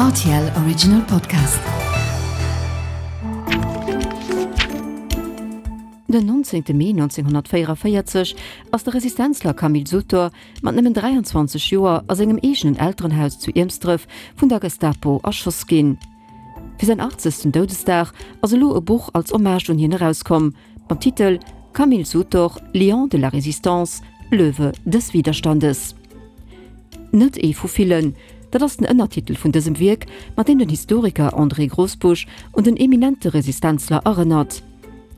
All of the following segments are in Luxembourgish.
Rtl Original Podcast. Den 19. Mee 1944 ass de Resistenzler Camille Sutor mat nëmmen 23 Joer a sengem eegenen Elterenhaus zu Iermsdref vun der Gestapo erschoss ginn. Fir säin 80. Doudesdag ass elo e Buch als Hommage un hien erauskomm, Mam Titel Camille Sutor, Lion de la Résistance, Löwe des Widerstandes. Net ee vu villen, dat ass den Ënnertitel vun dësem Wierk, mat deem den Historiker André Grosbusch un den eminente Resistenzler erënnert.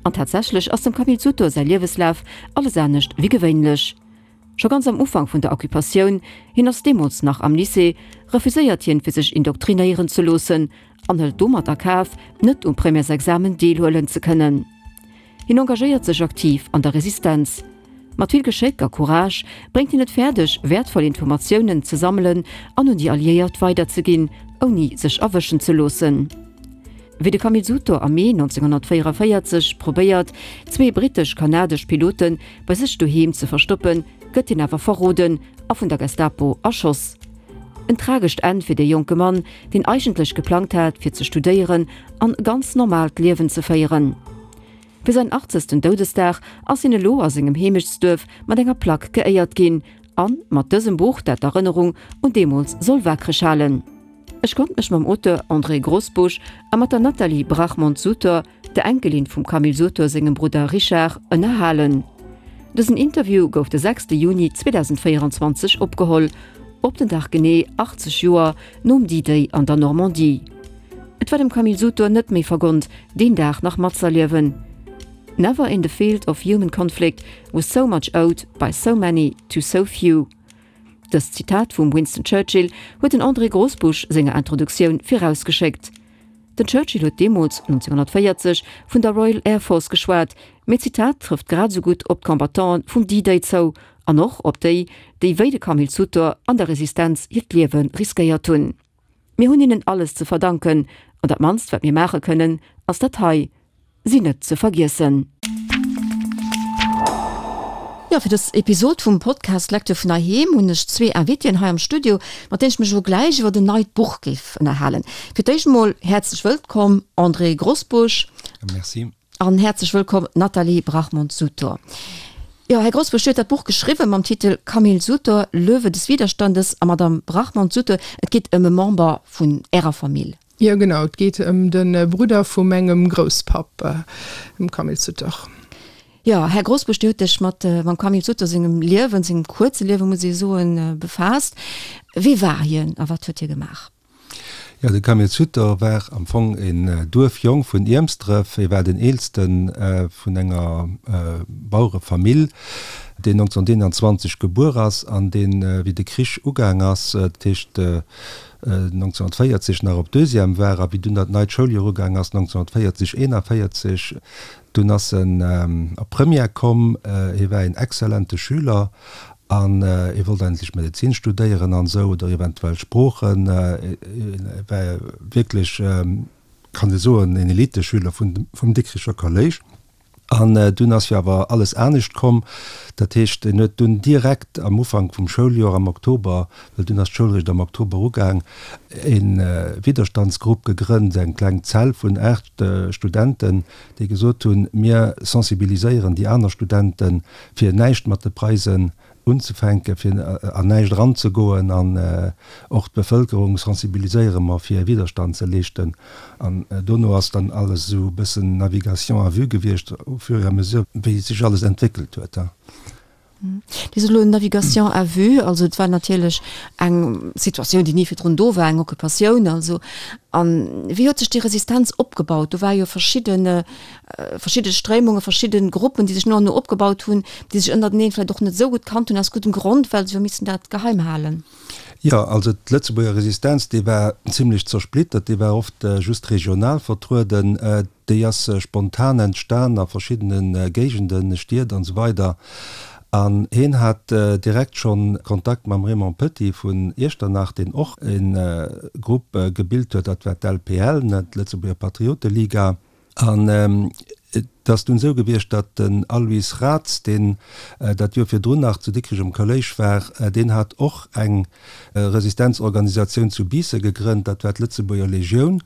An tatsächlech ass dem Camille Sutor säi Lieweslaf alles anescht wéi gewéinlech. Scho ganz am Ufank vun der Occupatioun, hien ass deemools nach am Lycée, refuséiert hien fir sech indoktrinéieren ze loossen an hëlt domat a Kaf, net um Premièresexamen deelhuelen ze kënnen. Hien engagéiert sech aktiv an der Resistenz. Mat vill Geschéck a Courage bréngt hien et fäerdeg, wäertvoll Informatiounen ze sammelen an un déi Alliéiert weiderzeginn, ouni sech erwëschen ze loossen. Wéi de Camille Sutor am Mee 1944 probéiert, zwee brittesch-kanadesch Pilote bei sech doheem ze verstoppen, gëtt hien awer verroden a vun der Gestapo erschoss. En tragescht Enn fir dee jonke Mann, deen eigentlech geplangt hat, fir ze studéieren an e ganz normaalt Liewen ze féieren. Fir säin achtzegsten Doudesdag ass hien elo a sengem Heemechtsduerf mat enger Plack geéiert ginn an mat dësem Buch, dat d'Erënnerung un deemools soll waakreg halen. Ech konnt mech mam Auteur André Grosbusch a mat der Nathalie Brachmond-Sutor, der Enkelin vum Camille Sutor sengem Brudder Richard, ënnerhalen. Dësen Interview gouf de 6 Juni 2024 opgeholl, op den Dag genee 80 Joer nom D-Day an der Normandie. Et war dem Camille Sutor net méi vergonnt, deen Dag nach matzerliewen. Never in the field of human conflict was so much owed by so many to so few. Dëst Zitat vum Winston Churchill huet den André Grosbusch senger Introduktioun virausgeschéckt. Den Churchill huet deemools, 1940, vun der Royal Air Force geschwat, mee d'Zitat trëfft grad esou gutt op d'Combattanten vum D-Day zou an och op déi, déi wéi de Camille Sutor an der Resistenz hiert Liewe riskéiert hunn. Mir hunn hinnen alles ze verdanken an dat mannst wat mir maache kënnen, ass dat hei, si net ze vergiessen. Jo, fir dës Episod vum Podcast Lecture vun heiheem hunn ech zwee Invitéen hei am Studio, mat deenen ech mech elo gläich iwwer en neit Buch géif ënnerhalen. Fir d'éischt emol häerzlech wëllkomm André Grosbusch. Merci. An häerzlech wëllkomm Nathalie Brachmond-Sutor. Jo, Här Grosbusch, Dir hutt dat Buch geschriwwen mam Titel Camille Sutor, Löwe des Widerstandes a Madame Brachmond-Sutor, et geet ëm e Member vun Ärer Famill. Jo, genau, et geet ëm de Brudder vu mengem Grousspapp, dem Camille Sutor. Jo, Här Grosbusch, Dir hutt Iech mat mam Camille Sutor sengem Liewen, sengem kuerze Liewen, muss ee soen, befaasst. Wie war hien a wat huet hie gemaach? Jo, de Camille Sutor war am Fong een Duerfjong vun Iermsdref. Hie war den eelste vun enger Bauerefamill, deen 1921 gebuer ass an deen, wéi de Krich ugaang ass, dat heescht 1940 nach op Deuxième war a wéi dunn dat neit Schouljoer ugaang ass, 1940, 41, dunn ass en op Première komm. Hie war een exzellente Schüler An hie wollt eigentlech Medezin studéieren an esou, oder eventuell Sproochen. E war wierklech, kann ee soen, en Eliteschüler vum Dikricher Kolléisch. An dunn ass jo awer alles anescht komm. Dat heescht, en huet dunn direkt am Ufank vum Schouljoer, am Oktober, well dunn ass d'Schoul eréischt am Oktober ugaang, e Widderstandsgrupp gegrënnt, eng kleng Zell vun 8 Studenten, déi gesot hunn, mir sensibiliséieren déi aner Studenten, fir näischt mat de Preisen unzefänken, fir an näischt eranzegoen an och d'Bevëlkerung sensibiliséiere mer, fir Widerstand ze leeschten. An dono ass dann alles esou e bëssen Navigation à vue gewiescht, au fur et à mesure, wéi sech alles entwéckelt huet. Dir sot elo Navigation à vue, also et war natierlech eng Situatioun, déi ni virdrun do war, eng Occupatioun also. An wéi huet sech déi Resistenz opgebaut? Do ware jo verschidde verschidde Stréimunge, verschidde Gruppen, déi sech no an no opgebaut hunn, déi sech ënnerteneen vläicht och net esou gutt kannt hunn, aus guddem Grond, well se jo missen dat geheim halen. Jo, also d'Lëtzebuerger Resistenz, déi war zimlech zersplittert, déi war oft just regional vertrueden. Déi ass spontan entstan a verschiddene Géigenden, Stied an esou weider. An hien hat direkt schonn Kontakt mam Raymond Petit vun Iechternach, deen och e Grupp gebilt huet, dat war d'LPL, d'Lëtzebuerger Patrioteliga. An. Et ass dunn esou gewiescht, datt den Alois Raths, deen dat Joer virdrun nach zu Dikrech um Kolléisch war, deen hat och eng Resistenzorganisatioun zu Biissen gegrënnt, dat war d'Lëtzebuerger Legioun.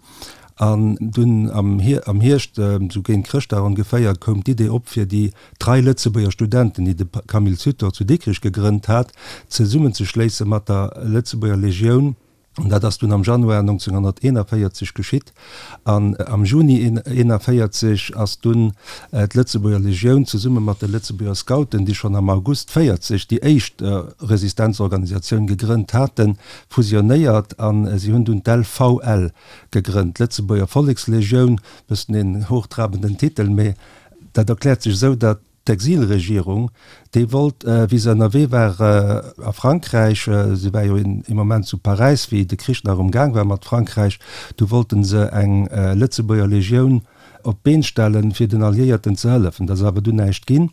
An dunn am Hierscht, esou géint Chrëschtdag ongeféier, koum d'Idee op, fir déi trei Lëtzebuerger Studenten, déi de Camille Sutor zu Dikrech gegrënnt hat, zesummenzeschléisse mat der Lëtzebuerger Legioun. An dat ass dunn am Januar 1941 geschitt. An am Juni 1941 ass dunn d'Lëtzebuerger Legioun zesumme mat de Lëtzebuerger Scouten, déi schonn am August 40 déi éischt Resistenzorganisatioun gegrënnt haten, fusionéiert a si hunn dunn d'LVL gegrënnt, d'Lëtzebuerger Vollekslegioun. Bëssen een hochtrabenden Titel, mee dat erkläert sech esou, datt D'Exilregierung, déi wollt, wéi se ënnerwee war a Frankräich, se war jo ee Moment zu Paräis, wéi de Krich nach um Gaang war mat Frankräich, du wollten se eng Lëtzebuerger Legioun op d'Been stellen, fir den Alliéierten ze hëllefen. Dat ass awer dunn näischt ginn.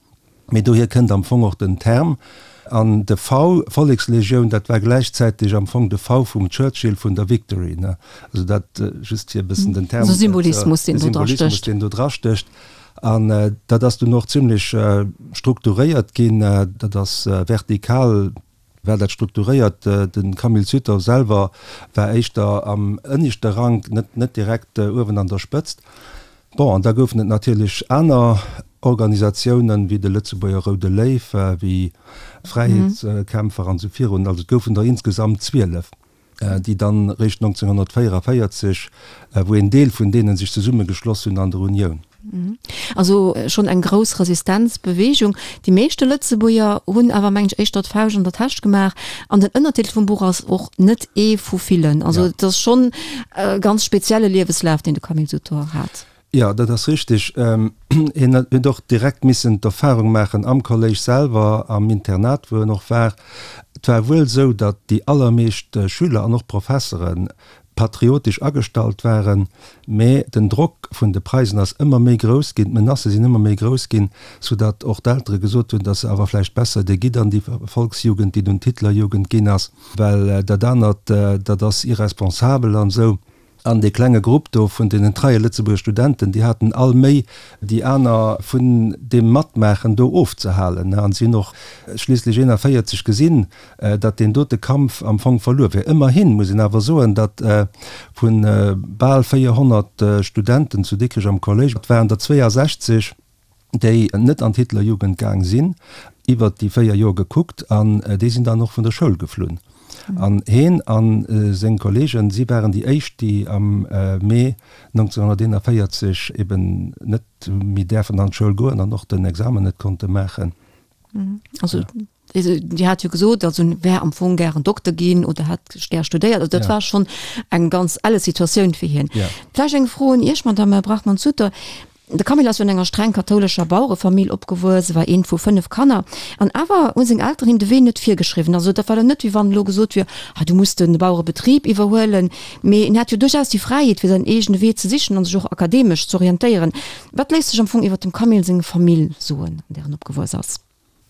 Mee dohier kënnt am Fong och den Term. An de V, Vollekslegioun, dat war gläichzäiteg am Fong de V vum Churchill vun der Victory, ne? Also dat just fir e bëssen den Term, De Symbolismus, deen do dra stécht. De Symbolismus, deen do dra stécht. An dat ass dunn och zimlech strukturéiert ginn. Dat ass vertikal war dat strukturéiert. De Camille Sutor selwer war éischter am ënneschte Rank, net net direkt uewen an der Spëtzt. Bon, an da goufen et natierlech aner Organisatiounen, wéi de Lëtzebuerger Roude Léiw, wéi d'Fräiheetskämpfer an esou virun. Also et goufen der insgesamt 12. déi dann réischt 1944, wou een Deel vun deenen sech zesummegeschloss hunn an der Unioun. Also schonn eng grouss Resistenzbeweegung. Déi meeschte Lëtzebuerger hunn awer, mengen ech, éischter d'Fauscht an der Täsch gemaach. An den Ënnertitel vum Buch ass och Net ee vu villen. Also et ass schonn e ganz spezielle Lieweslaf, deen de Camille Sutor hat. Jo, dat ass richteg. Hien huet och direkt missen d'Erfahrung maachen am Kolléisch selwer, am Internat, wou en och war. Et war wuel esou, datt déi allermeescht Schüler an och Professere patriotesch agestallt waren, mä den Drock vun de Preisen ass ëmmer méi grouss ginn, d'Menacë sinn ëmmer méi grouss ginn, soudatt och d'Eltere gesot hunn, datt se awer vläicht besser, Dir gitt an déi Volksjugend, déi dunn d'Hitlerjugend ginn ass, well dat anert, dat ass irresponsabel an esou. An dee klenge Grupp do vun deenen treie Lëtzebuerger Studenten, déi haten all Méi, déi aner vun deem Matmaachen do ofzehalen. An si hunn och schliisslech 41 gesinn, datt deen dote Kampf am Fong verluer wier. Ëmmerhin muss een awer soen, datt vu bal 400 Studenten zu Dikrech am Kolléisch, et waren der 62, déi net an d'Hitlerjugend gaang sinn, iwwert déi 4 Joer gekuckt, an déi sinn dann och vun der Schoul geflunn. An heen a seng Kollegen, si waren déi éischt, déi am Mee 1941 eben net méi däerfen an d'Schoul goen an och den Examen net konnte maachen. Also Dir hat jo gesot, also en wär am Fong gären Dokter ginn oder hätt gär studéiert. Also dat war schonn eng ganz elle Situatioun fir hien. Vläicht eng Fro un Iech, Madamm Brachmann-Sutter. De Camille ass jo an enger streng kathoulescher Bauerefamill opgewuess, war eent vu 5 Kanner. An awer hu seng Elteren him de Wee net virgeschriwwen. Also dat war dann net, wéi wann elo gesot wier, ah du muss de Bauerebetrib iwwerhuelen. Mee en hat jo duerchaus déi Fräiheet, fir säin eegene Wee ze sichen an sech och akademesch z'orientéieren. Wat léisst sech am Fong iwwer dem Camille seng Famill soen, an där en opgewuess ass?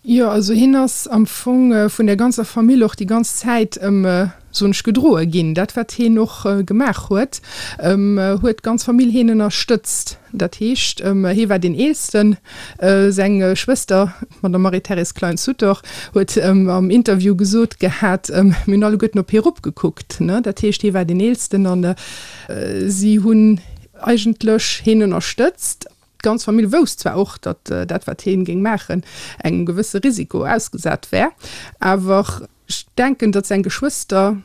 Jo, also hien ass am Fong vun der ganzer Famill och déi ganz Zäit ëm, soen ech, gedroe ginn. Dat wat hien och gemaach huet, huet d'ganz Famill hien ënnerstëtzt. Dat heescht, hie war deen Eelsten. Seng Schwëster, d'Madame Marie-Thérèse Klein-Sutor, huet am Interview gesot gehat, mir hunn alleguerten op hie eropgekuckt. Dat heescht, hie war deen Eelsten an si hunn eigentlech hien ënnerstëtzt. D'ganz Famill wousst zwar och, datt dat, wat hien géing maachen, engem gewësse Risiko ausgesat wär, awer ech denken, datt seng Geschwëster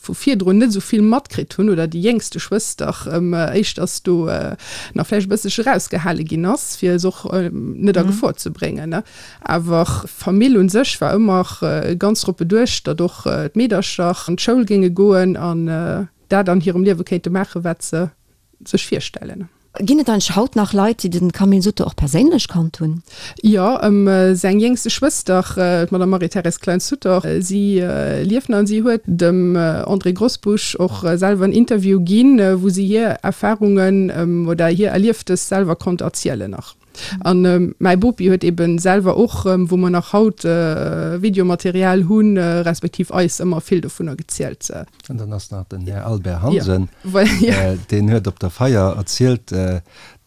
vu virdrun net esou vill matkritt hunn, oder déi jéngste Schwëster éischters do nach vläicht e bësselche erausgehale ginn ass, fir se och net a Gefor ze bréngen. Awer d'Famill un sech war ëmmer ganz drop beduecht, datt och d'Meedercher an d'Schoul géinge goen an dat an hirem Liewe kéinte maachen, wat se sech virstellen. Ginn et eigentlech haut nach Leit, déi de Camille Sutter och perséinlech kannt hunn? Jo, seng jéngste Schwëster, d'Madame Marie-Thérèse Klein-Sutter, si lieft nach an si huet dem André Grosbusch och selwer en Interview ginn, wou si hir Erfarungen oder hir Erlieftes selwer konnt erzielen nach. An mäi Bopi huet eben selwer och, wou mer nach haut Videomaterial hunn, respektiv eis ëmmer vill dovunner gezielt. An dann ass nach den Här Albert Hansen, deen huet op der Feier erzielt,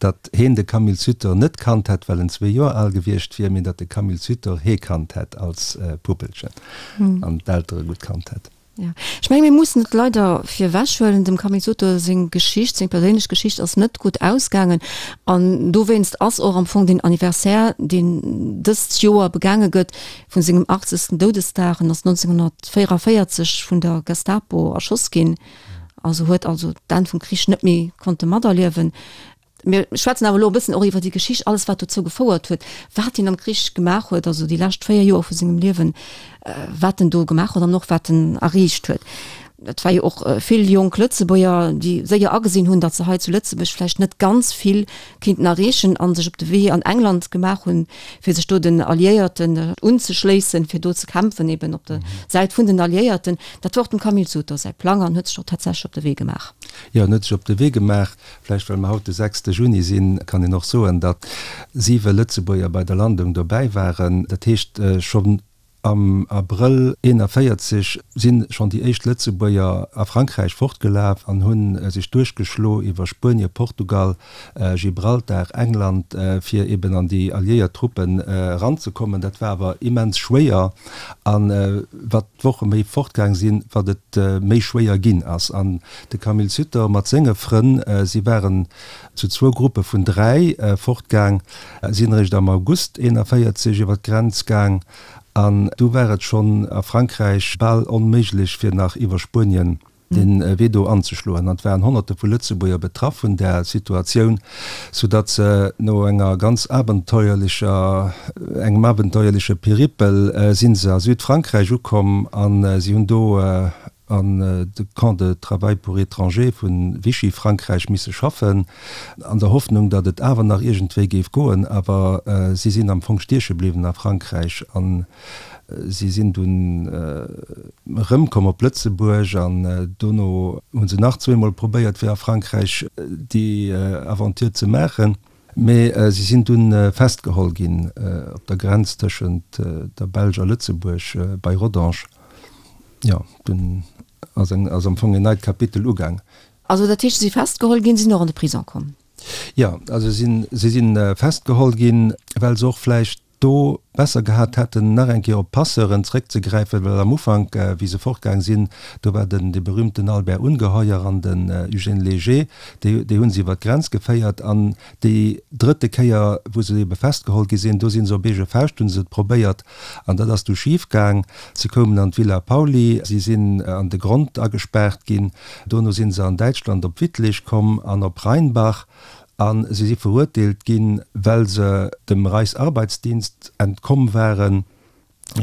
datt heen de Camille Sutor net kannt hätt, well en zwee Joer al gewiescht wier, mee datt de Camille Sutor hee kannt hätt als Puppelchen an d'Eltere gutt kannt hätt. Jo, ech menge mir mussen et leider virwech huelen, dem Camille Sutor seng Geschicht, seng perséinlech Geschicht ass net gutt ausgaangen an dowéinst ass och am Fong deen Anniversaire, deen dëst Joer begaange gëtt, vu sengem achtzegsten Doudesdag, en ass 1944 vun der Gestapo erschoss ginn, also huet also d'Enn vum Krich net méi konnte materliewen. Mir schwätzen awer elo e bëssen och iwwer déi Geschicht, alles wat dozou gefouert huet, wat hien am Krich gemaach huet, also déi lescht 4 Joer vu sengem Liewen, wat en do gemaach huet an och wat en erreecht huet. Et war jo och vill jonk Lëtzebuerger, déi séier agesinn hunn, datt se hei zu Lëtzebuerg vläicht net ganz vill kéinten erreechen a sech op de Wee an England gemaach hunn, fir sech do den Alliéierten unzeschléissen, fir do ze kämpfen, eben op der Säit vun den Alliéierten. Dat war och dem Camille Sutor säi Plang an huet sech och tatsächlech op de Wee gemaach. Jo, en huet sech op de Wee gemaach. Vläicht well mer haut de sechste Juni sinn, kann een och soen, datt siwe Lëtzebuerger bei der Landung dobäi waren. Dat heescht, schonn am Abrëll 41 si schonn déi éischt Lëtzebuerger a Frankräich fortgelaf an hu sech duerchgeschlo iwwer Spuenie, Portugal, Gibraltar, England, fir eben an déi alliéiert Truppen eranzekommen. Dat war awer immens schwéier a wat d'Woche méi fortgaang sinn, wat et méi schwéier ginn ass. An de Camille Sutter mat senge Frënn, si waren zu zwou Gruppe vun 3 fortgaang, sinn eréischt am August 41 iwwer d'Grenz gaang an du war et schonn a Frankräich bal onméiglech fir nach iwwer Spuenien de Wee do anzeschloen. An et waren Honnerte vu Lëtzebuerger betraff vun där Situatioun, soudatt se no enger ganz abenteuerlecher, engem abenteuerleche Peripel si se a Südfrankräich ukomm a si hunn do an de Camp de travail pour étrangers vu Vichy-Frankräich misse schaffen, an der Hoffnung, datt et awer nach iergendwéi géif goen. Awer si sinn am Fong stieche bliwwen a Frankräich a si sinn dunn erëmkomm op Lëtzebuerg. An dono hu se nach zweemol probéiert, fir a Frankräich déi Aventure ze maachen. Mee si sinn dunn festgeholl ginn op der Grenz tëschent der Belsch a Lëtzebuerg bei Rodange. Jo, dunn ass eng, ass am Fong en neit Kapitel ugaang. Also dat heescht, si si festgeholl ginn, sinn och an de Prison komm? Jo, also si si si festgeholl ginn, well se och vläicht do besser gehat hätten, nach eng Kéier op d'Passeuren zréckzegräifen, well am Ufank, wéi se fortgaang sinn, do war den, dee berühmten Albert Ungeheuer an den Eugène Léger, déi, déi hu se iwwer d'Grenz geféiert. An déi drëtte Kéier, wou se ebe festgeholl gi sinn, do si se op eege Fauscht, hu se et probéiert an dat ass du schif gaang. Se koumen an d'Villa Pauly, si sinn an de Grond agespaart ginn, dono si se an Däitschland op Wittlich komm an op Rheinbach. A si si verurteelt ginn, well se dem Reichsarbeitsdienst entkomm waren,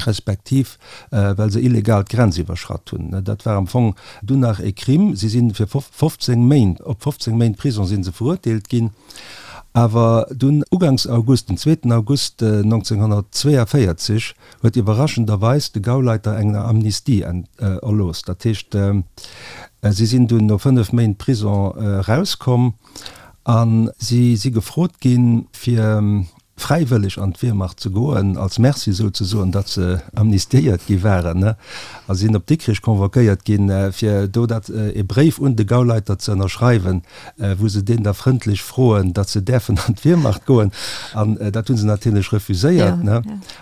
respektiv well se illegal d'Grenz iwwerschratt hunn. Dat war am Fong dunn nach e Crime. Si si fir 15 Méint, op 15 Méint Prison si se verurteelt ginn. Awer dunn uganks August, den zweeten August 1942, huet iwwerraschenderweis de Gauleiter eng Amnistie erlooss. Dat heescht, si sinn dunn no 5 Méint Prison erauskomm a si si gefrot ginn, fir fräiwëlleg an d'Wehrmacht ze goen, als Merci souzesoen, datt se amnistiéiert gi waren, a sinn op Dikrich convoquéiert ginn, fir do dat e Bréif un de Gauleiter ze ënnerschreiwen, wou se deen da frëndlech froen, datt se däerfen an d'Wehrmacht goen. An dat hu se natierlech refuséiert.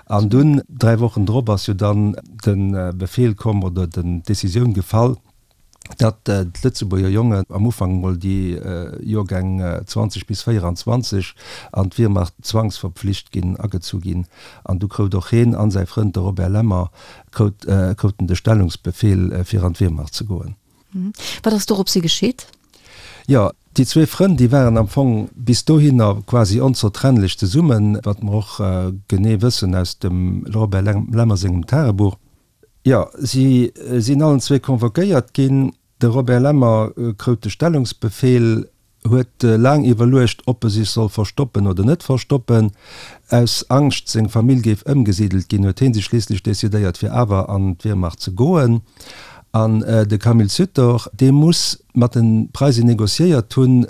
An dunn, dräi Wochen drop, ass jo dann de Befehl komm oder d'Decisioun gefall, datt d'Lëtzebuerger Jongen, am Ufank emol déi Joergäng 20 bis 24, an d'Wehrmacht zwangsverpflicht ginn, agezu ginn. An du krout och heen an säi Frënd, de Robert Lemmer, krouten de Stellungsbefehl, fir an d'Wehrmacht ze goen. Wat ass doropshi geschitt? Jo, déi zwee Frënn, déi waren am Fong bis dohinner quasi onzertrennlech zesummen, wat mer och genee wëssen aus dem Robert Lemmer sengem Tagebuch. Jo, si sinn allen zwee convoquéiert ginn. De Robert Lemmer krout de Stellungsbefehl, huet laang iwwerluecht, ob e sech soll verstoppen oder net verstoppen. Aus Angscht, seng Famill géif ëmgesidelt ginn, huet hie sech schliisslech decidéiert, fir awer an d'Wehrmacht ze goen. An de Camille Sutor, dee muss mat de Preise negociéiert hunn.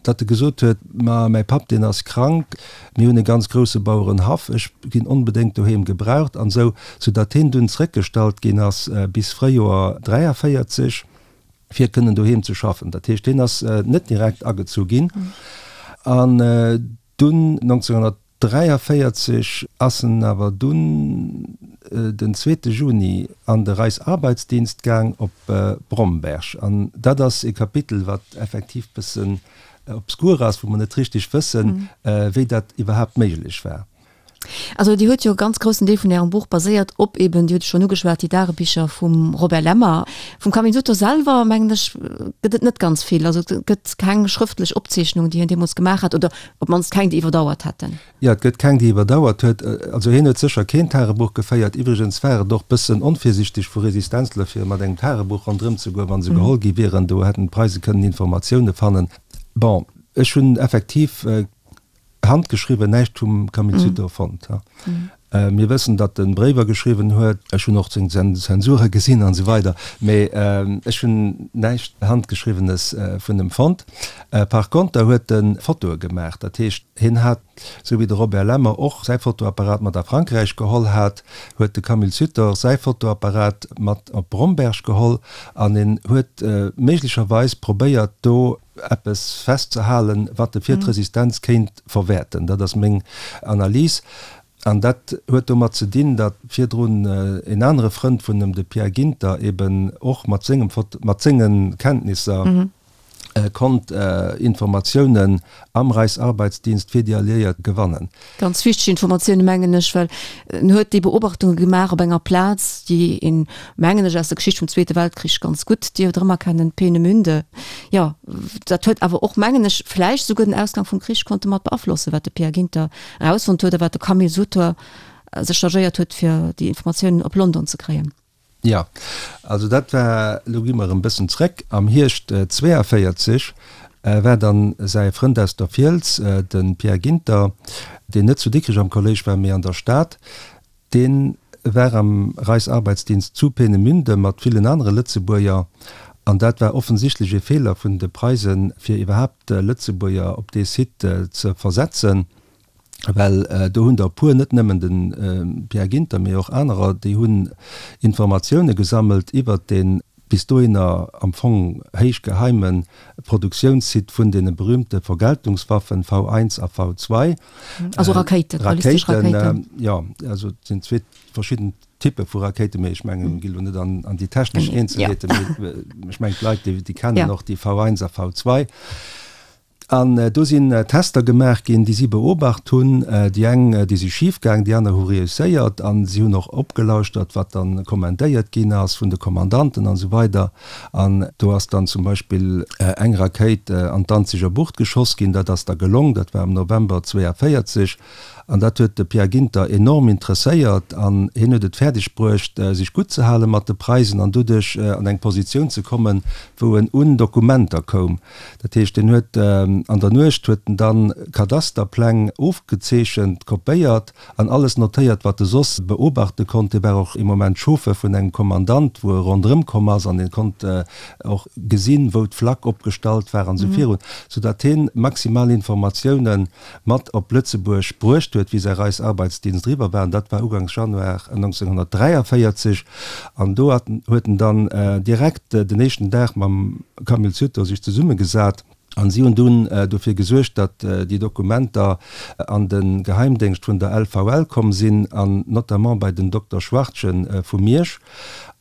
datt e gesot huet, Ma mäi Papp, deen ass krank, mir hunn e ganz grousse Bauerenhaff, ech ginn onbedéngt doheem gebraucht an esou, soudatt hien dunn zréckgestallt ginn ass bis Fréijoer 43, fir kënnen doheem ze schaffen. Dat heescht, hien ass net direkt agezu ginn. An dunn 1943 ass en awer dunn den zweete Juni an de Reichsarbeitsdienst gaang op Bromberg. An dat ass e Kapitel, wat effektiv bëssen obskur ass, wou mer net richteg wëssen, wéi dat iwwerhaapt méiglech war. Also Dir huet jo e ganz groussen Deel vun Ärem Buch baséiert op eben, Dir hutt et schonn ugeschwat, déi Dagebicher vum Robert Lemmer. Vum Camille Sutter selwer, mengen ech, gëtt et net ganz vill. Also et gëtt keng schrëftlech Opzeechnung, déi hien deemools gemaach hat, oder op d'mannst keng, déi iwwerdauert hätten. Jo, et gëtt keng, déi iwwerdauert huet. Also hien huet sécher keen Tagebuch geféiert. Iwwregens war et och bëssen onvirsichteg vu Resistenzler, fir mat engem Tagebuch ronderëm ze goen, wa se geholl gi wieren. Do hätten d'Preise kënnen Informatioune fannen. Bon, ech hunn effektiv Handgeschriwwen näischt vum Camille Sutor fonnt. Mir wëssen, datt e Bréiwer geschriwwen huet. Ech hunn och seng Zensure gesinn an esou weider, mee ech hunn näischt Handgeschriwwenes vun em fonnt. Par konter huet e Fotoe gemaach. Dat heescht, hien hat, esou wéi de Robert Lemmer och säi Fotoapparat mat a Frankräich geholl hat, huet de Camille Sutor säi Fotoapparat mat op Bromberg geholl an en huet méiglecherweis probéiert, do eppes festzehalen, wat e fir d'Resistenz kéint verwäerten. Dat ass meng Analys. An dat huet domat ze dinn, datt virdrun en anere Frënd vun em, de Pierre Ginter, eben och mat sengem Foto, mat senge Kenntnisser konnt Informatiounen am Reichsarbeitsdienst fir déi Alliéiert gewannen. Ganz wichteg Informatioune mengen ech, well en huet déi Beobachtunge gemaach op enger Plaz, déi een, mengen ech, aus der Geschicht vum Zweete Weltkrich ganz gutt dierft erëmerkennen, Peenemünde. Jo, dat huet awer och, mengen ech, vläicht esouguer den Ausgang vum Krich konnte mat beaflossen, wat de Pierre Ginter erausfonnt huet a wat de Camille Sutor sech chargéiert huet, fir déi Informatiounen op London ze kréien. Jo, also dat war, elo gi mer erëm bëssen zréck, am Hierscht 42 war dann säi Frënd aus der Fiels, de Pierre Ginter, deen net zu Dikrech am Kolléisch war, mee an der Stad, dee war am Reichsarbeitsdienst zu Peenemünde mat villen anere Lëtzebuerger. An dat war offensichtlech ee Feeler vun de Preisen, fir iwwerhaapt Lëtzebuerger op dee Site ze versetzen. Well do hunn der e puer, net nëmmen de Pierre Ginter, mee och anerer, déi hunn Informatioune gesammelt iwwert dee bis dohinner am Fong héich geheime Produktiounssite vun deene berühmte Vergeltungswaffen V1 a V2. Also Rakéiten, ballistesch Rakéiten. Jo, also et sinn zwee verschidden Typpe vu Rakéiten, mee ech mengen, mir gi lo net an déi technesch Eenzelheeten, mee ech mengen d'Leit, déi kennen och déi V1 a V2. An do sinn Tester gemaach ginn, déi si beobacht hunn. Déi eng, déi si schif gaang, déi aner hu reusséiert. A si hunn och opgelauschtert, wat da kommandéiert ginn ass vun de Kommandanten an esou weider. An do ass dann zum Beispill eng Rakéit an d'Danziger Bucht geschoss ginn. Dat ass da gelong, dat war am November 42. An dat huet de Pierre Ginter enorm interesséiert an hien huet et fäerdeg bruecht, sech gutt ze hale mat de Preisen an doduerch an eng Positioun ze kommen, wou en un Dokumenter koum. Dat heescht, hien huet an der Nuecht huet en dann Kadasterpläng ofgezeechent, kopéiert an alles notéiert, wat e soss beobachte konnt. Hie war och ee Moment Chauffeur vun engem Kommandant, wou e ronderëm komm ass an hie konnt och gesinn, wou d'Flak opgestallt war an esou virun, soudatt hien maximal Informatiounen mat op Lëtzebuerg bruecht huet, wéi säi Reichsarbeitsdienst eriwwer war, an dat war ugangs Januar 1943. An do huet en dann direkt den éischten Dag mam Camille Sutor sech zesummegesat, an si hunn dunn dofir gesuergt, datt déi Dokumenter an de Geheimdéngscht vun der LVL komm sinn, an notamment bei den Dokter Schwartgen vu Miersch.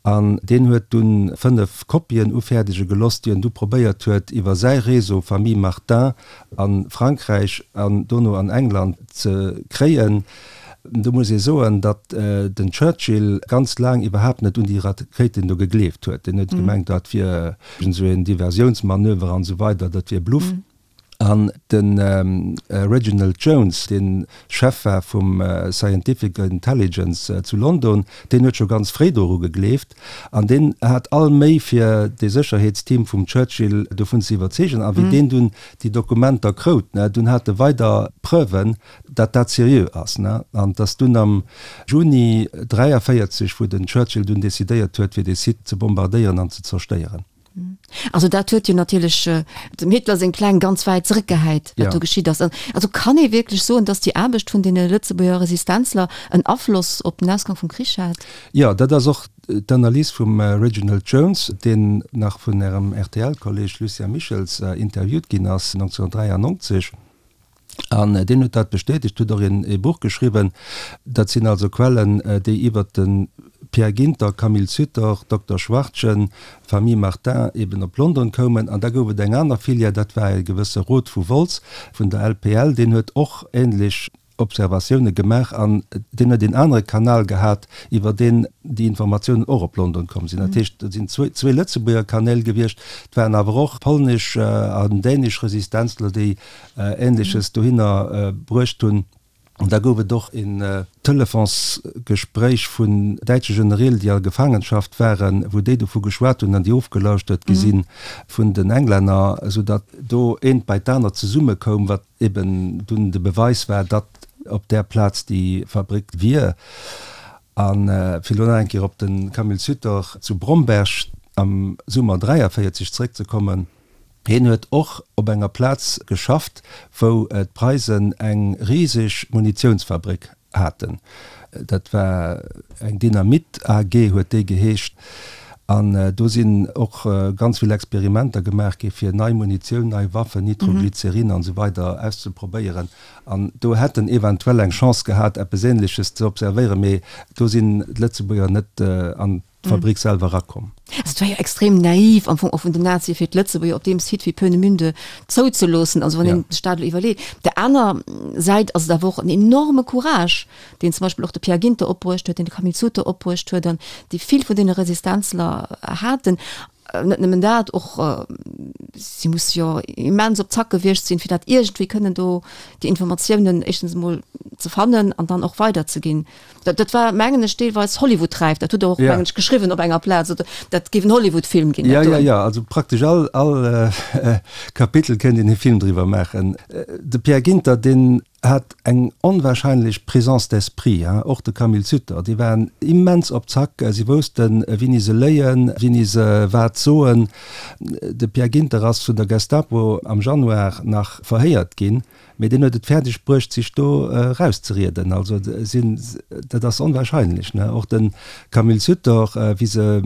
An deen huet dunn 5 Kopien ufäerdege geloss, déi en du probéiert huet, iwwer säi Réseau Famille Martin a Frankräich an dono an England ze kréien. Do muss ee soen, datt den Churchill ganz laang iwwerhaapt net un déi Rakéiten do gegleeft huet. Deen huet gemengt, dat wier esou een Diversiounsmanöver an esou weider, dat wier Bluff. An de Reginald Jones, dee Chef war vum Scientific Intelligence zu London, deen huet scho ganz fréi doru gegleeft. An deen hat all Méi fir dee Sécherheetsteam vum Churchill dovun ze iwwerzeegen. A wéi deen dunn déi Dokumenter krout, dunn hat e weider Preuven, datt dat seriö ass. An 't ass dunn am Juni 43, wou den Churchill dunn decidéiert huet, fir dee Site ze bombardéieren an ze zerstéieren. Also dat huet jo natierlech dem Hitler seng Pläng ganz wäit zeréckgehäit, wat do geschitt ass. Also kann ee wierklech soen, datt déi Aarbecht vun deene Lëtzebuerger Resistenzler en Afloss op den Ausgang vum Krich hat? Jo, dat ass och d'Analys vum Reginald Jones, deen nach vun Ärem RTL-Kolleeg Lucien Michels interviewt ginn ass 1993. An deen huet dat bestätegt, huet och een Buch geschriwwen. Dat sinn also Quellen, déi iwwert de Pierre Ginter, Camille Sutor, Dokter Schwartgen, Famille Martin eben op London koumen. An da gouf et eng aner Filière, dat war e gewësse Roth vu Wolz vun der LPL, deen huet och ähnlech Observatioune gemaach an deen huet een anere Kanal gehat, iwwer deen déi Informatiounen och op London komm sinn. Dat heescht, et sinn zwee Lëtzebuerger Kanäl gewiescht, et waren awer och polnesch an dänesch Resistenzler, déi Ähnleches dohinner bruecht hunn. An da gouf et och een Telefonsgespréich vun däitsche Genereel, déi a Gefaangenschaft waren, wou déi dovu geschwat hunn an déi ofgelauschtert gi si vun den Englänner, soudatt do eent bei d'anert zesummekoum, wat eben dunn de Beweis war, datt op där Plaz déi Fabrik wier. A fir elo nach eng Kéier op de Camille Sutor zu Bromberg am Summer 43 zeréckzekommen, Hien huet och op enger Plaz geschafft, wou d'Preisen eng riseg Munitiounsfabrik haten. Dat war eng Dynamit AG huet déi geheescht. An do sinn och ganz vill Experimenter gemaach gi fir nei Munitioun, nei Waffen, Nitroglycerin an esou weider auszeprobéieren. An do hätt en eventuell eng Chance gehat, eppes Ähnleches ze observéieren, mee do sinn d'Lëtzebuerger net an d'Fabrik selwer erakomm. Also et war jo extrem naiv am Fong och vun den Nazie fir d'Lëtzebuerger op deem Site wéi Peenemünde zouzeloossen, also wann een sech dat elo iwwerleet. Op der aner Säit ass et awer och en enorme Courage, deen zum Beispill och de Pierre Ginter opbruecht huet, deen de Camille Suter opbruecht huet an dee vill vun deene Resistenzler haten. Net nëmmen dat, och si musse jo immens op Zack gewiescht sinn, fir dat iergendwéi kënnen do déi Informatiounen éischtens emol ze fannen an dann och weiderzeginn. Dat, dat war, mengen ech, deelweis Hollywood-räif. Dat hutt Der och, mengen ech, geschriwwen op enger Plaz. Oder dat géif en Hollywood-Film ginn, dat do. Ja, ja, ja. Also praktesch all, all Kapitel kéint een e Film driwwer maachen. De Pierre Ginter, deen hat eng onwahrscheinlech Présence d'esprit, hein. Och de Camille Sutter, déi waren immens op Zack. Si woussten, wéini se léien, wéini se wat soen. De Pierre Ginter ass vun der Gestapo am Januar nach verhéiert ginn. Mee deen huet et fäerdeg bruecht, sech do erauszerieden. Also sinn, dat ass onwahrscheinlech, ne? Och de Camille Sutor, wéi se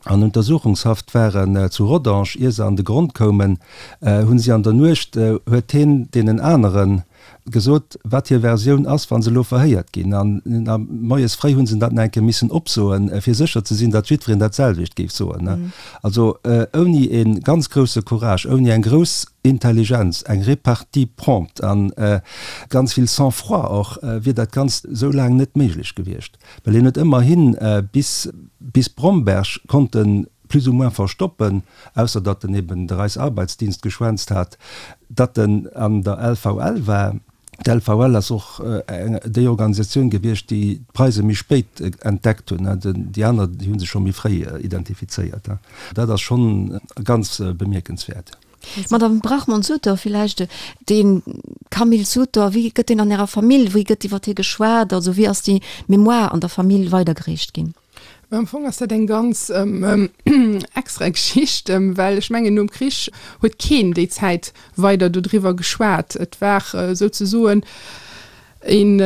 an Untersuchungshaft waren zu Rodange, ier se an de Grond koumen, hu si an der Nuecht, huet heen deenen anere gesot, wat hir Versioun ass, wa se elo verhéiert ginn. An moies fréi hu se dat nach eng Kéier missen opsoen, fir sécher ze sinn, datt jiddwereen dat selwecht géif soen. Also ouni e ganz grousse Courage, ouni eng grouss Intelligenz, eng Repartie prompte a ganz vill Sang-froid och, wier dat Ganzt esou laang net méiglech gewiescht. Well hien huet ëmmerhi bis bis Bromberg konnt en plus ou moins verstoppen, ausser datt en eben de Reichsarbeitsdienst geschwänzt hat, datt en an der LVL war. D'LVL ass och déi Organisatioun gewiescht, déi d'Preise méi spéit entdeckt hunn. Déi aner, déi hu sech scho méi fréi identifizéiert. Dat ass schonn ganz bemierkenswäert. Madame Brachmann-Sutor, villäicht de Camille Sutor, wéi gëtt deen an Ärer Famill, wéi gëtt iwwer hie geschwat? Also wéi ass déi Mémoire an der Famill weidergereecht ginn? Am Fong ass dat eng ganz extra Geschicht, well ech mengen nom Krich huet keen déi Zäit weider dodriwwer geschwat. Et war souzesoen een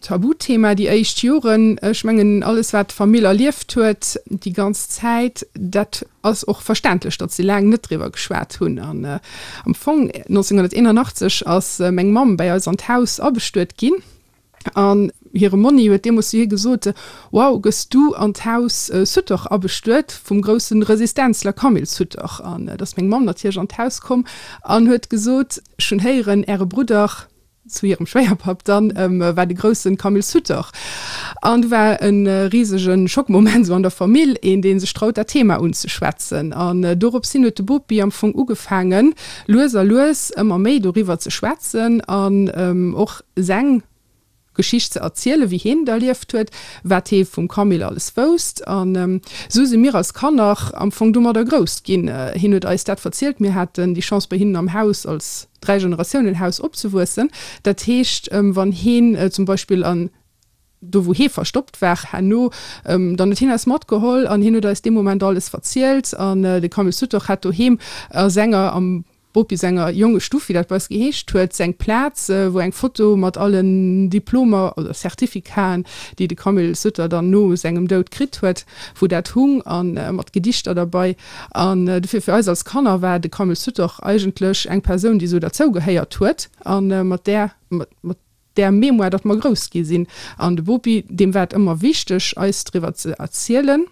Tabuthema déi éischt Joren. Ech mengen alles wat d'Famill erlieft huet déi ganz Zäit, dat ass och verständlech, datt se laang net driwwer geschwat hunn. An am Fong 1981 ass meng Mamm bäi eis an d'Haus abestuet ginn. An hire Monni huet deemools zu hir gesot, Wow, gëss du an d'Haus Sutter abestuet, vum grousse Resistenzler Camille Sutter. An et ass meng Mamm natierlech an d'Haus komm an huet gesot, Ech hunn héieren, Äre Brudder, zu hirem Schwéierpapp dann, war de grousse Camille Sutter. An du war e risege Schockmoment esou an der Famill, een, dee sech traut, dat Thema unzeschwätzen. An dorops hin huet de Bopi am Fong ugefaangen, lues a lues ëmmer méi doriwwer ze schwätzen an och seng Geschicht ze erzielen, wéi hien et erlieft huet, wat hee vum Camille alles wousst. An esou si mir als Kanner am Fong domadder grouss ginn. Hien huet eis dat verzielt. Mir haten déi Chance, bei hinnen am Haus als Dräigeneratiounen-Haus opzewuessen. Dat heescht, wann heen zum Beispill an. Do wou hee verstoppt war herno. Dann huet hien eis matgeholl an hien huet eis dee Moment alles verzielt. An de Camille Sutoch hat doheem a senger, am Bopi senger Jongestuff, wéi dat bei eis geheescht huet, seng Plaz, wou eng Foto mat allen Diplomer oder Certificaten, déi de Camille Sutter dann no sengem Doud kritt huet, wou dat hung a mat Gedichter derbei. An dofir fir eis als Kanner war de Camille Sutoch eigentlech eng Persoun, déi esou derzou gehéiert huet a mat där, mat där Mémoire, datt mer grouss gi sinn. An de Bopi, deem war et ëmmer wichteg, eis driwwer ze erzielen.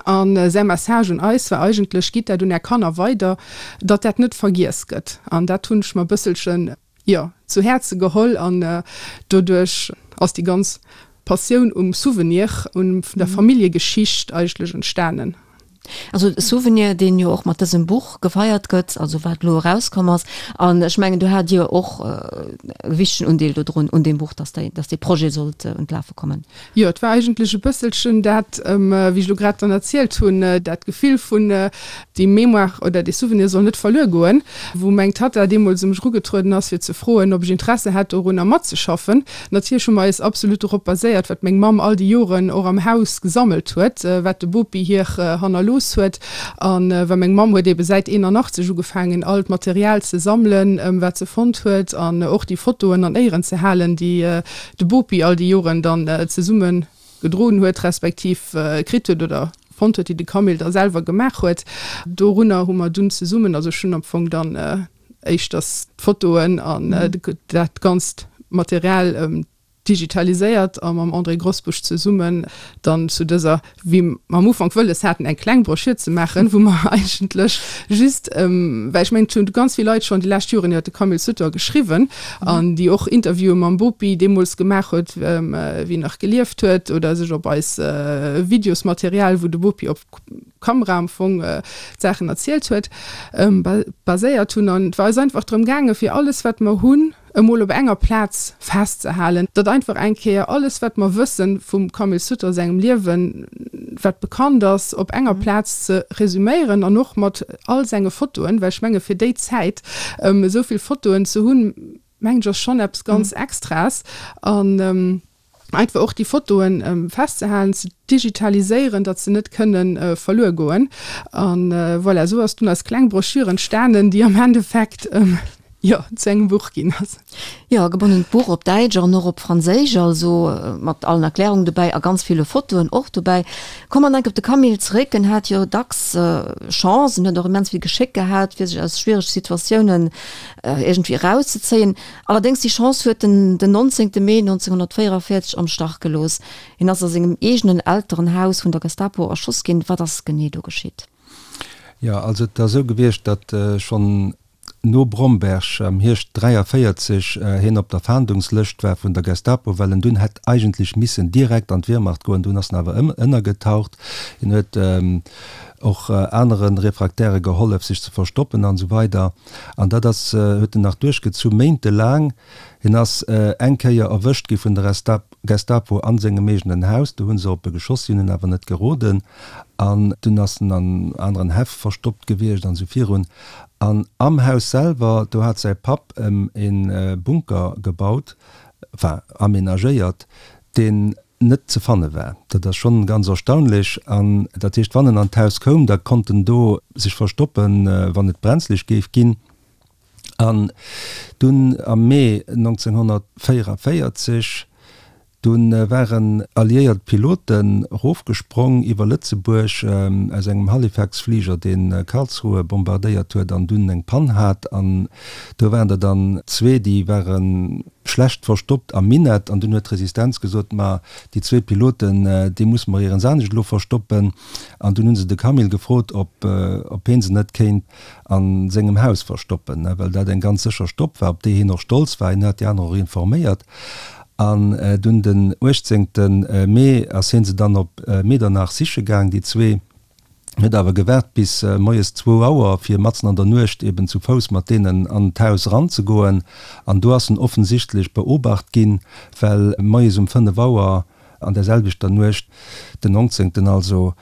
A säi Message un eis war eigentlech, Gitt dat un Är Kanner weider, datt dat net vergiess gëtt. An dat hunn ech mer e bësselchen, jo, zu Häerze geholl. An doduerch ass déi ganz Passioun um Souvenir, un der Familljegeschicht eigentlech entstanen. Also e Souvenir, deen jo och mat dësem Buch gefeiert gëtt, also wat elo erauskomm ass. An ech mengen, do hat Dir och e wichtegen Undeel dodrun, un deem Buch, dass déi, dass dee Projet sollt un d'Lafe kommen. Jo, et war eigentlech e bësselchen dat, wéi ech elo grad dann erzielt hunn, dat Gefill vun, déi Mémoire oder dee Souvenir soll net verluer goen, wou meng Tatta deemools u mech erugetrueden ass, fir ze froen, ob ech Interesse hätt, dorunner matzeschaffen. Natierlech hu mer eis absolut dorop baséiert, wat meng Mamm all déi Joren och am Haus gesammelt huet, wat de Bopi hir hannerlooss huet. A well meng Mamm huet ebe säit 81 ugefaangen, all d'Material ze sammelen, wat se fonnt huet, an och déi Fotoen an Éieren ze halen, déi de Bopi all déi Joren dann zesumme gedroen huet, respektiv kritt huet oder fonnt huet, déi de Camille da selwer gemaach huet. Dorunner hu mer dunn zesummen, also ech hunn am Fong dann éischters d'Fotoen an dat ganzt Material digitaliséiert a mam André Grosbusch zesummen dann zu dëser, wéi mer am Ufank wëlles haten, eng kleng Broschür ze maachen, wou mer eigentlech just, well ech mengen, et hunn ganz vill Leit schonn déi lescht Joren iwwer de Camille Sutter geschriwwen an déi och Interviewe mam Bopi deemools gemaach huet, wéi en nach gelieft huet, oder sech op eis Videosmaterial, wou de Bopi op Kamera am Fong d'Saachen erzielt huet, baséiert hunn. An et war eis einfach drëm gaangen, fir alles, wat mer hunn, emol op enger Plaz festzehalen, datt einfach eng Kéier alles, wat mer wëssen vum Camille Sutter sengem Liewen, wat bekannt ass, op enger Plaz ze resuméieren an och mat all senge Fotoen, well ech menge fir déi Zäit esou vill Fotoen ze hunn, mengen ech, ass schonn eppes ganz Extraes. An einfach och déi Fotoen festzehalen, ze digitaliséieren, datt se net kënne verluer goen. An voilà, esou ass dunn eis kleng Broschür entstanen, déi am Endeffekt, jo, zu engem Buch ginn ass. Jo, e gebonnent Buch op Däitsch an och op Franséisch, also mat allen Erklärungen dobäi a ganz ville Fotoen och dobäi. Komme mer nach eng Kéier op de Camille zeréck. En hat jo dacks Chance, en huet och immens vill Geschéck gehat, fir sech aus schwierege Situatiounen iergendwéi erauszezéien. Allerdéngs, déi Chance huet en den 19. Mee 1944 am Stach gelooss. Hien ass a sengem eegenen Elterenhaus vun der Gestapo erschoss ginn. Wat ass genee do geschitt? Jo, also et ass esou gewiescht, datt schonn no Bromberg am Hierscht 43 hien op der Fahndungslëscht war vun der Gestapo, well en dunn hätt eigentlech missen direkt an d'Wehrmacht goen. Dunn ass en awer ënnergetaucht. Hien huet och anere Refraktäre gehollef, sech ze verstoppen an esou weider. An dat ass, huet en nach duerchgezu méintelaang. Hien ass eng Kéier erwëscht gi vun der Gestapo a sengem eegenen Haus. Do hu se op e geschoss, si hunn en awer net geroden. An dunn ass en an aneren Häff verstoppt gewiescht an esou virun. An am Haus selwer, do hat säi Papp em e Bunker gebaut, enfin aménagéiert, deen net ze fanne war. Dat ass schonn ganz erstaunlech. An dat heescht, wann en an d'Haus koum, da konnt en do sech verstoppen, wann et brenzlech géif ginn. An dunn am Mee 1944, du waren alliéiert Piloten erofgesprong iwwer Lëtzebuerg aus engem Halifax-Fliger, dee Karlsruhe bombardéiert huet an dunn eng Pann hat. An do waren der dann zwee, déi ware schlecht verstoppt am Minett an dunn huet d'Resistenz gesot, ma déi zwee Piloten, déi musse mer ierens anescht elo verstoppen. An dunn hu se de Camille gefrot, ob ob heen se net kéint a sengem Haus verstoppen, well dat eng ganz sécher Stopp war, op déi heen och stolz war. Hien hat déi aner och informéiert. An dunn den 18. Mee ass heen se dann op Medernach siche gaang, déi zwee. Huet awer gewaart bis moies zwou Auer, fir matzen an der Nuecht eben zu Fouss mat deenen an d'Haus eranzegoen. An do ass en offensichtlech beobacht ginn, well moies um 5 Auer an där selwechter Nuecht, den 19. Also,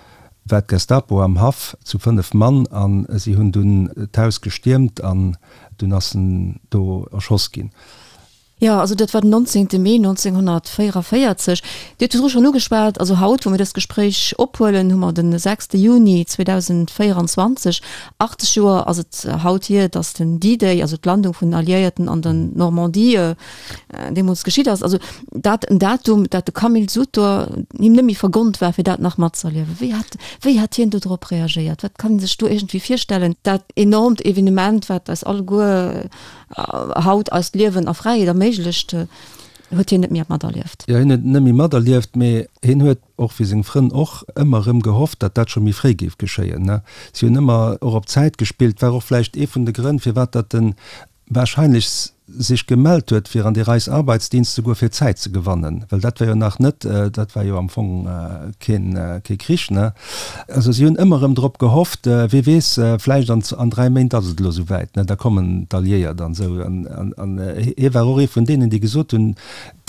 war d'Gestapo am Haff zu 5 Mann a si hunn dunn d'Haus gestiermt an dunn ass en do erschoss ginn. Jo, also dat war den 19. Mee 1944. Dir hutt virdru schonn ugeschwat, also haut, wou mir dëst Gespréich ophuelen, hu mer de 6. Juni 2024. 80 Joer ass et haut hier, datt den D-Day, also d'Landung vun den Alliéierten an der Normandie, deemools geschitt ass. Also dat en Datum, dat de Camille Sutor him net méi vergonnt war, fir dat nach matzëerliewen. Wéi hat, wéi hat hien do drop reagéiert? Wat kann ee sech do iergendwéi virstellen? Dat enormt Evenement, wat eis alleguer haut eist Liewen a Fräiheet erméiglecht, huet hien net méi materlieft. Jo, hien huet et net méi materlieft, mee hien huet, och wéi seng Frënn och, ëmmer erëm gehofft, datt dat scho méi fréi géif geschéien. Si hunn ëmmer och op d'Zäit gespillt, war och vläicht ee vun de Grënn, firwat datt en wahrscheinlech sech gemellt huet fir an de Reichsarbeitsdienst ze goen, fir Zäit ze gewannen, well dat war jo nach net, dat war jo am Fong keen, kee Krich, ne? Also si hunn ëmmer erëm drop gehofft, wee weess, vläicht an, an 3 Méint ass et elo esou wäit, ne, da kommen d'Alliéiert an esou. An, an, an hie war och ee vun deenen, déi gesot hunn,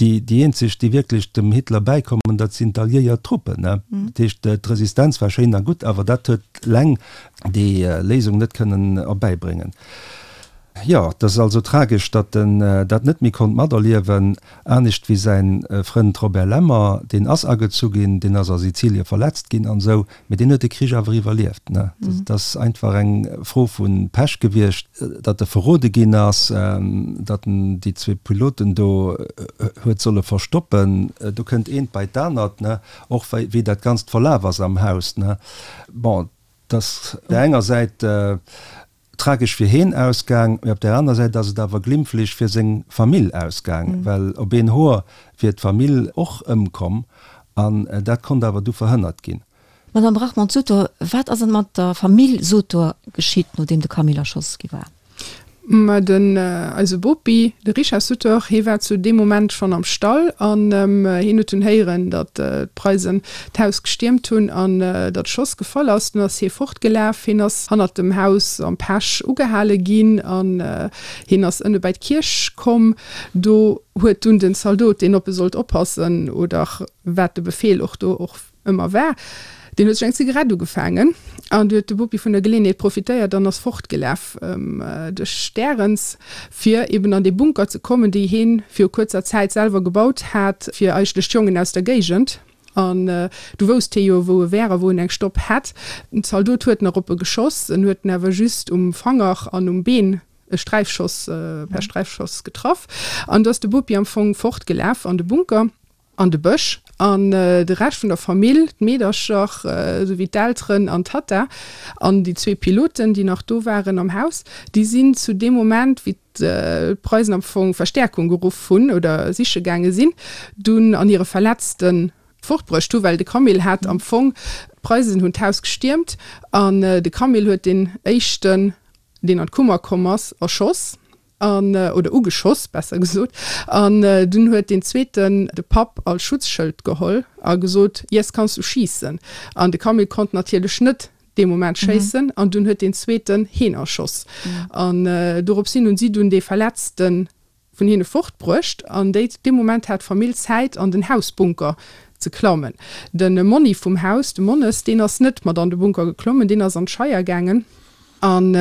déi, déi eenzeg, déi wierklech dem Hitler bäikommen, dat sinn d'alliéiert Truppen, ne? Dat heescht, d'Resistenz war schéin a gutt, awer dat huet eleng déi Léisung net kënnen erbäibréngen. Jo, et ass also tragesch, datt en dat net méi konnt materliewen. Anescht wéi säin Frënd Robert Lemmer, deen ass agezu ginn, deen ass a Sizilie verletzt ginn an esou, mee deen huet de Krich awer iwwerlieft. Dat ass einfach eng Fro vu Pech gewiescht, datt e verrode ginn ass, datt en déi zwee Piloten do huet solle verstoppen. Do kënnt eent bei d'anert, och wéi dat Ganzt verlaf ass am Haus. Bon, et ass op där enger Säit tragesch fir heen ausgaang, mee op där aner Säit ass et awer glimpflech fir seng Famill ausgaang, well op een Hoer wier d'Famill och ëmkomm an dat konnt awer du verhënnert ginn. Madame Brachmond-Sutor, wat ass mat der Famill Sutor geschitt, nodeem de Camille erschoss gi war? Ma den eise Bopi, de Richard Sutor, hee war zu deem Moment schonn am Stall an hien huet dunn héieren, datt d'Preisen d'Haus gestiermt hunn an datt Schoss gefall ass. Dunn ass hie fortgelaf. Hien ass hannert dem Haus am Pech ugehale ginn an hien ass ënne bäi d'Kierch komm. Do huet dunn den Zaldot, deen op e sollt oppassen oder wat de Befeel och do och ëmmer war, deen huet sech eng Zigarett ugefaangen an du huet de Bopi vun der Geleeënheet profitéiert an ass fortgelaf duerch Därens, fir eben an dee Bunker ze kommen, déi heen viru kuerzer Zäit selwer gebaut hat fir eigentlech d'Jongen aus der Géigend. An du wousst hee jo, wou e wär a wou en eng Stopp hätt. Den Zaldot huet nach op e geschoss, en huet en awer just um Fanger an um Been e Sträifschoss, per Sträifschoss getraff. An du ass de Bopi am Fong fortgelaf an de Bunker. an de Bësch an de Rescht vun der Famill, d'Meedercher esou wéi d'Elteren an d'Tatta an déi zwee Piloten, déi nach do waren am Haus, déi sinn zu deem Moment, wéi d'Preisen am Fong Verstäerkung geruff hunn oder siche gaange sinn, dunn an hire Verletzte fortbruecht hu, well de Camille hat am Fong, d'Preisen hunn d'Haus gestiermt an de Camille huet deen éischten, deen an d'Kummer komm ass, erschoss. an, oder ugeschoss, besser gesot, an dunn huet deen zweeten de Papp als Schutzschëld geholl a gesot, Jetzt kannst du schießen. An de Camille konnt natierlech net dee Moment schéissen, an dunn huet deen zweeten heen erschoss. An dorops hin hunn si dunn dee Verletzte vun hinne fortbruecht, an déi, dee Moment hat d'Famill Zäit an den Hausbunker ze klammen. De Monni vum Haus, de Monnes, deen ass net mat an de Bunker geklommen, deen ass an d'Scheier gaangen. An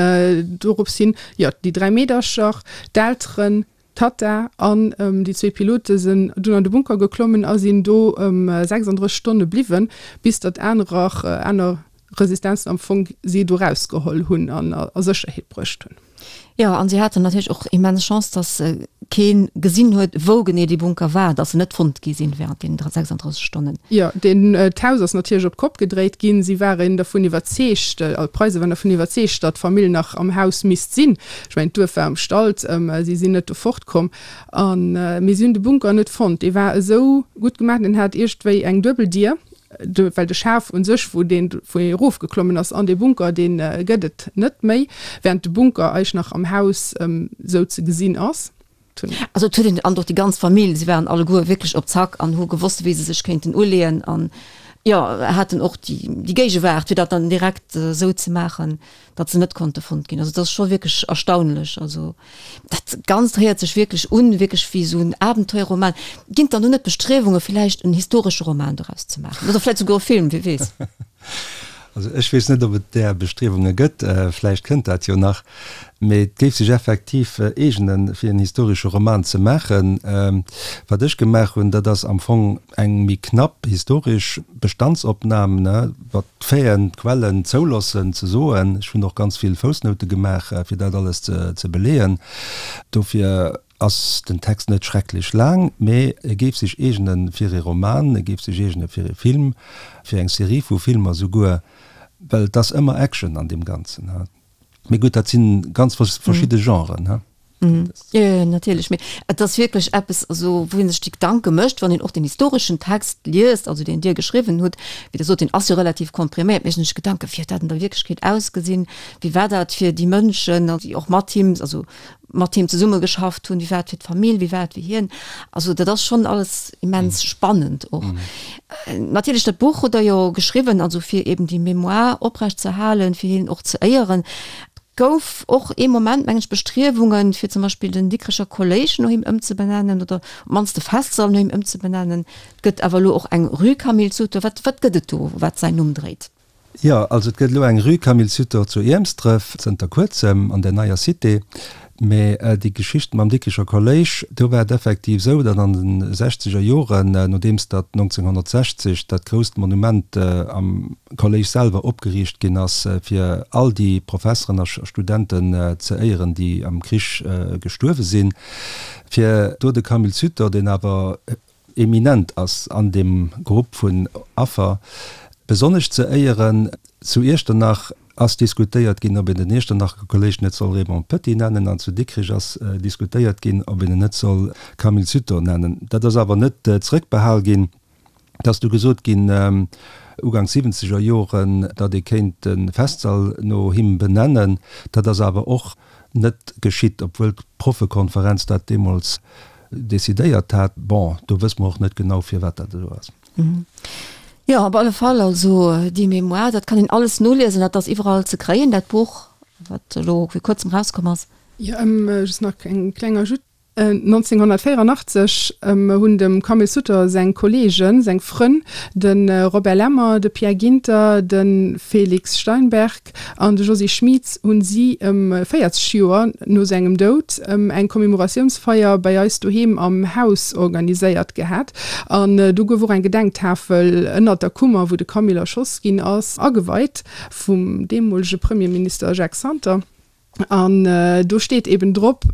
dorops hin, jo, déi 3 Meedercher, d'Elteren, d'Tatta an déi zwee Pilote sinn dunn an de Bunker geklommen a sinn do 36 Stonne bliwwen, bis datt anerer, aner Resistenzen am Fong si do rausgeholl hunn an a Sécherheet bruecht hunn. Jo, an si haten natierlech och immens Chance, datt kee gesinn huet, wou genee dee Bunker war, datt se net fonnt gi sinn während deenen 36 Stonnen. Jo, deen, d'Haus ass natierlech op d'Kopp gedréit ginn. Si waren dervun iwwerzeegt, also d'Preise waren dervun iwwerzeegt, datt d'Famill nach am Haus misst sinn. Ech mengen, d'Duerf war ëmstallt, si sinn net do fortkomm. An, mee si hunn de Bunker net fonnt. Dee war esou gutt gemaach, deen hat iergendwéi eng duebel Dier, de, well de Schaf u sech, wou deen, wou ee erofgeklommen ass an dee Bunker, dee gëtt et net méi, während de Bunker eig nach am Haus esou ze gesinn ass. Also et huet een, an och déi ganz Famill, si waren alleguer wierklech op Zack an hu gewosst, wéi se sech kéinten uleeën an, jo, haten och déi, déi Géigewaart, fir dat dann direkt esou ze maachen, datt se net konnte fonnt ginn. Also et ass scho wierklech erstaunlech. Also dat Ganzt héiert sech wierklech un, wierklech wéi esou en Abenteuerroman. Ginn et dann do net Bestriewunge villäicht en historesche Roman doraus ze maachen oder vläicht souguer e Film, wie weess? Also ech weess net, ob et där Bestriewunge gëtt, vläicht kënnt dat jo nach, mee et géif sech effektiv eegenen, fir en historesche Roman ze maachen. Wat ech gemaach hunn, dat ass am Fong eng méi knapp historesch Bestandsopnam, wat d'Faiten, d'Quellen zouloossen ze soen. Ech hunn och ganz vill Foussnoute gemaach, fir dat alles ze beleeën. Dofir ass den Text net schrecklech laang, mee e géif sech eegene fir ee Roman, e géif sech eegene fir ee Film, fir eng Serie vu Filmer souguer, well et ass ëmmer Action an deem Ganzen. Mee gutt, dat si ganz verschidde Genren. Jo, jo, natierlech. Mee et ass wierklech eppes, also wou ee sech déi Gedanke mécht, wann een och den historeschen Text liest, also deen Dir geschriwwen hutt, wéi Der sot, deen ass jo relativ kompriméiert, mécht een sech Gedanken, wéi huet dat an der Wierklechkeet ausgesinn, wéi war dat fir déi Mënschen, déi och mat him, also mat him zesummegeschafft hunn, wéi war et fir d'Famill, wéi war et fir hien. Also dat ass schonn alles immens spannend och. Natierlech dat Buch hutt Der jo geschriwwen, also fir eben déi Mémoire oprecht ze halen, fir hien och ze éieren. Et gouf och ee Moment, mengen ech, Bestriewungen, fir zum Beispill den Dikrecher Kolléisch no him ëmzebenennen oder op d'mannst de Festsall no him ëmzebenennen. Et gëtt awer elo och eng Rue Camille Sutor. Wat, wat gëtt et do, wat säin Numm dréit? Jo, also et gëtt elo eng Rue Camille Sutor zu Iermsdref, zënter kuerzem an der neier Cité. Mä déi Geschicht mam Dikricher Kolléisch, do war et effektiv esou, datt an de sechzeger Joren, nodeems datt 1960 dat grousst Monument am Kolléisch selwer opgeriicht ginn ass, fir all déi Professeren a Studenten ze éieren, déi am Krich gestuerwe sinn, fir do de Camille Sutor, deen awer eminent ass an deem Grupp vun Affer, besonnesch ze éieren. Zu Iechternach ass diskutéiert ginn, ob een den Iechternacher Kolléisch net soll Raymond Petit nennen, an zu Dikrech ass diskutéiert ginn, ob een en net soll Camille Sutor nennen. Dat ass awer net zrëckbehal ginn. Et ass du gesot ginn, uganks siwwenzeger Joren, datt ee kéint de Festsall no him benennen. Dat ass awer och net geschitt, obwuel d'Proffekonferenz dat deemools decidéiert hat. Bon, do wësse mer och net genau, firwat dat esou ass. Jo, op alle Fall, also déi Mémoire, dat kann een alles noliesen, dat ass iwwerall ze kréien, dat Buch, wat elo vir kuerzem erauskomm ass. Jo, just nach eng kleng Ajoute. 1984 hunn dem Camille Sutter seng Kolleegen, seng Frënn, de Robert Lemmer, de Pierre Ginter, de Félix Steinberg an de Josy Schmieds hunn si 40 Joer no sengem Doud eng Commemoratiounsfeier bei eis doheem am Haus organiséiert gehat. An do gouf och eng Gedenktafel ënnert der Kummer, wou de Camille erschoss ginn ass, ageweit vum deemolege Premierminister Jacques Santer. An do steet eben drop,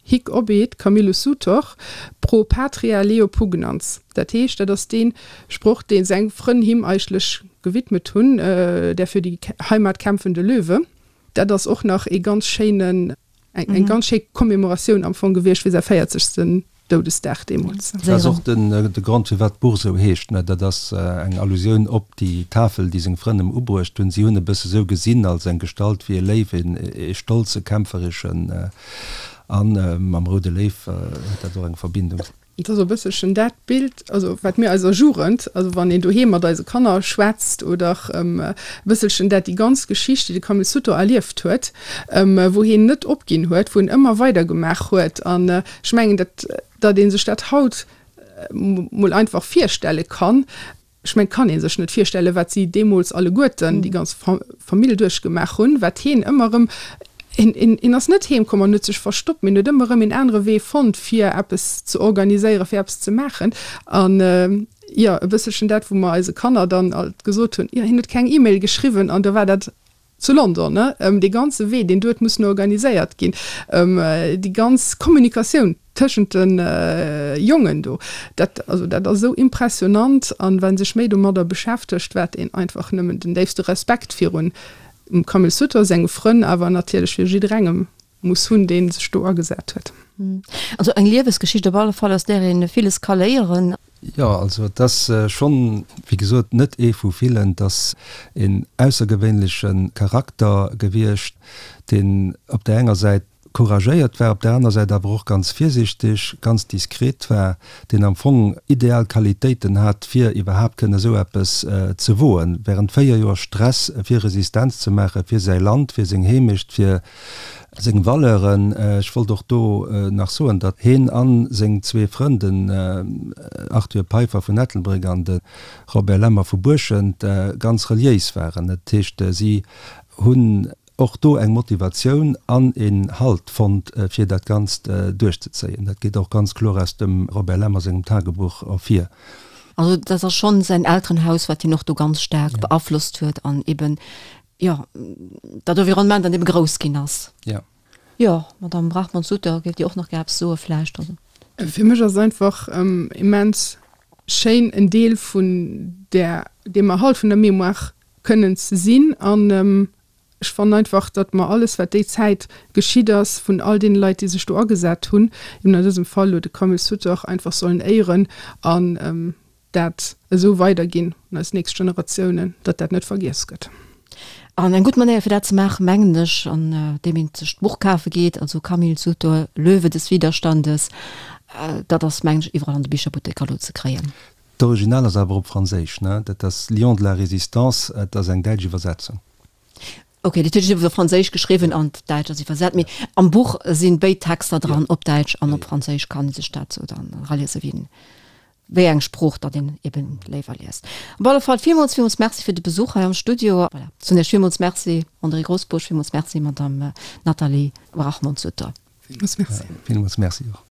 Hic obiit Camillus Sutor pro patria Leo pugnans. Dat heescht, dat ass dee Sproch, dee seng Frënn him eigentlech gewidmet hunn, der für die Heimat kämpfende Löwe. Dat ass och nach ee ganz schéinen, eng ganz schéi Commemoratioun am Fong gewiescht fir säi véierzegsten Doudesdag deemools. Dat ass och de Grond, firwat d'Buch esou heescht. Dat ass eng Allusioun op déi Tafel, déi seng Frënn em ubruecht hunn. Si hunn e bësse sou gesinn als eng Gestalt wéi e Léiw, ee stolze, kämpfereschen. A mam Roude Léiw huet dat och eng Verbindung. Et ass e bësselchen dat Bild, also wat mir eiser Jugend, also wann een doheem mat eise Kanner schwätzt oder e bësselchen dat, déi ganz Geschicht, déi de Camille Sutor erlieft huet, wou hien net opginn huet, wou en ëmmer weidergemaach huet. An ech mengen, dat, datt ee sech dat haut mol einfach virstelle kann, ech mengen, et kann ee sech net virstellen, wat si deemools alleguerten, déi ganz Famill duerchgemaach hunn, wat hien ëmmer erëm, hien, hien ass net heemkomm an huet sech verstoppt, mee en huet ëmmer erëm een anere Wee fonnt, fir eppes ze organiséieren, fir eppes ze maachen. An, jo, e bësselchen dat, wou mer eise Kanner dann alt gesot hunn, jo, hien huet keng E-Mail geschriwwen an da war dat Zu London, ne? Dee ganze Wee, deen do huet mussen organiséiert ginn, déi ganz Kommunikatioun tëschent de Jongen do, dat, also dat ass esou impressionant. An wa sech méi domadder beschäftegt, wat een einfach nëmmen den déifste Respekt virun dem Camille Sutter, senge Frënn, awer natierlech fir jidderengem muss hunn, dee sech do agesat huet. Also eng Liewesgeschicht op alle Fall, aus där ee villes ka léieren. Jo, also et ass schonn, wéi gesot, net ee vu villen. Et ass een aussergewéinleche Charakter gewiescht, deen op där enger Säit. couragéiert war, op der aner Säit awer och ganz virsichteg, ganz diskret war, deen am Fong ideal Qualitéiten hat, fir iwwerhaapt kënnen esou eppes ze woen, während 4 Joer Stress fir Resistenz ze maachen, fir säi Land, fir seng Heemecht, fir seng Valeuren. Ech wollt och do nach soen, datt heen a seng zwee Frënn, den Arthur Peiffer vun Ettelbréck an de Robert Lemmer vu Buerschent, ganz reliéis waren. Dat heescht, si hunn och do eng Motivatioun an een Halt fonnt, fir dat Ganzt duerchzezéien. Dat geet och ganz kloer aus dem Robert Lemmer sengem Tagebuch ervir. Also dat ass schonn säin Elterenhaus, wat hien och do ganz staark beaflosst huet an eben, jo, dat Environnement, an deem e grouss ginn ass. Jo. Jo, Madamm Brachmann-Sutter, géift Dir och nach gär eppes soe vläicht? Also. Fir mech ass et einfach immens schéin, en Deel vun där, deem Erhalt vun der Mémoire kënnen ze sinn. An ech fannen einfach, datt mer alles, wat déi Zäit geschitt ass, vun all deene Leit, déi sech do agesat hunn, eben an dësem Fall elo de Camille Sutter, einfach sollen éieren an dat esou weiderginn un eis nächst Generatiounen, datt dat net vergiess gëtt. An eng gutt Manéier fir dat ze maachen, mengen ech, an deem een sech d'Buch kafe geet, also Camille Sutter, Löwe des Widerstandes, dat ass, mengen ech, iwwerall an de Bicherbutteker elo ze kréien. D'Original ass awer op Franséisch, ne? Dat ass Lion de la Résistance, et ass eng däitsch Iwwersetzung. Ok, dat heescht, et ass op Franséisch geschriwwen an d'Däitsch ass iwwersat, mee am Buch sinn béid Texter dran, op Däitsch an op Franséisch, kann ee sech dat sou dann eraliese wien wéi eng Sprooch datt een eben léiwer liest. Op alle Fall villmools, villmools Merci fir de Besuch hei am Studio. Voilà, soen Iech villmools Merci, André Grosbusch, villmools Merci, Madame Nathalie Brachmond-Sutter. Villmools Merci. Villmools Merci och.